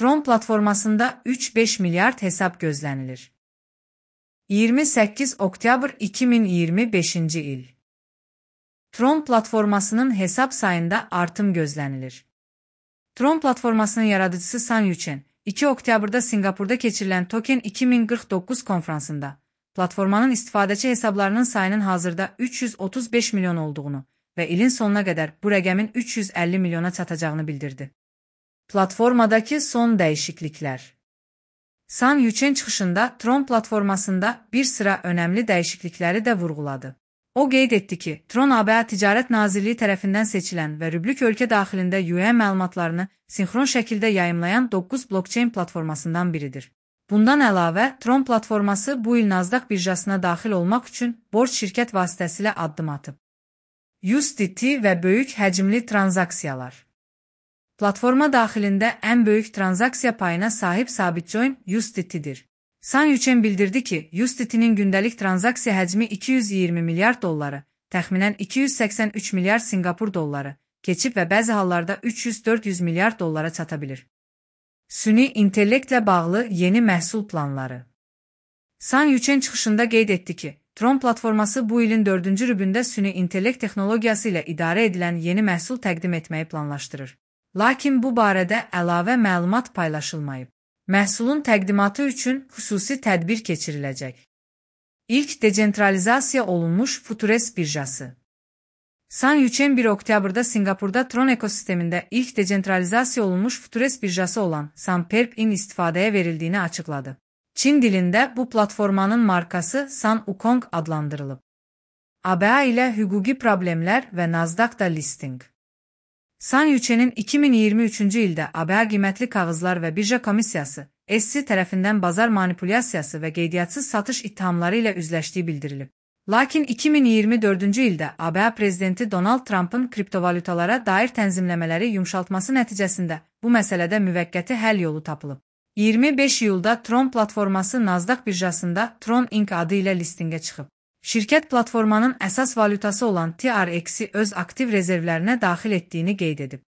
Tron platformasında 3-5 milyard hesap gözlənilir. 28 oktyabr 2025 il. Tron platformasının hesap sayında artım gözlənilir. Tron platformasının yaradıcısı San Yuchen, 2 oktyabırda Singapurda keçirilən Token 2049 konfransında platformanın istifadəçi hesablarının sayının hazırda 335 milyon olduğunu və ilin sonuna qədər bu rəqəmin 350 milyona çatacağını bildirdi. Platformadakı son dəyişikliklər. San Yuchen çıxışında Tron platformasında bir sıra önəmli dəyişiklikləri də vurğuladı. O qeyd etdi ki, Tron ABA Ticarət Nazirliyi tərəfindən seçilən və Rüblük ölkə daxilində yuan məlumatlarını sinxron şəkildə yayımlayan 9 blockchain platformasından biridir. Bundan əlavə, Tron platforması bu il Nasdaq birjasına daxil olmaq üçün borc şirkət vasitəsilə addım atıb. USDT və böyük həcmli tranzaksiyalar. Platforma daxilində ən böyük tranzaksiya payına sahib Sabitcoin USDT-dir. San Yuchen bildirdi ki, USDT-nin gündəlik tranzaksiya həcmi 220 milyard dolları, təxminən 283 milyard Singapur dolları, keçib və bəzi hallarda 300-400 milyard dollara çata bilir. Süni intellektlə bağlı yeni məhsul planları. San Yuchen çıxışında qeyd etdi ki, Tron platforması bu ilin 4-cü rübündə süni intellekt texnologiyası ilə idarə edilən yeni məhsul təqdim etməyi planlaşdırır. Lakin bu barədə əlavə məlumat paylaşılmayıb. Məhsulun təqdimatı üçün xüsusi tədbir keçiriləcək. İlk decentralizasiya olunmuş Futures birjası. San Yuchen 1 oktyabırda Singapurda Tron ekosistemində ilk decentralizasiya olunmuş Futures birjası olan Sanperp-in istifadəyə verildiyini açıqladı. Çin dilində bu platformanın markası San Wukong adlandırılıb. ABA ilə hüquqi problemlər və Nasdaqda listing. San Yuchen'in 2023-cü ildə ABA qiymətli kağızlar və birja komissiyası SEC tərəfindən bazar manipulyasiyası və qeydiyyatçız satış ittihamları ilə üzləşdiyi bildirilib. Lakin 2024-cü ildə ABA prezidenti Donald Trump'ın kriptovalutalara dair tənzimləmələri yumşaltması nəticəsində bu məsələdə müvəqqəti həll yolu tapılıb. 25 iyulda Tron platforması Nasdaq birjasında Tron Inc. adı ilə listingə çıxıb. Şirkət platformanın əsas valutası olan TRX-i öz aktiv rezervlərinə daxil etdiyini qeyd edib.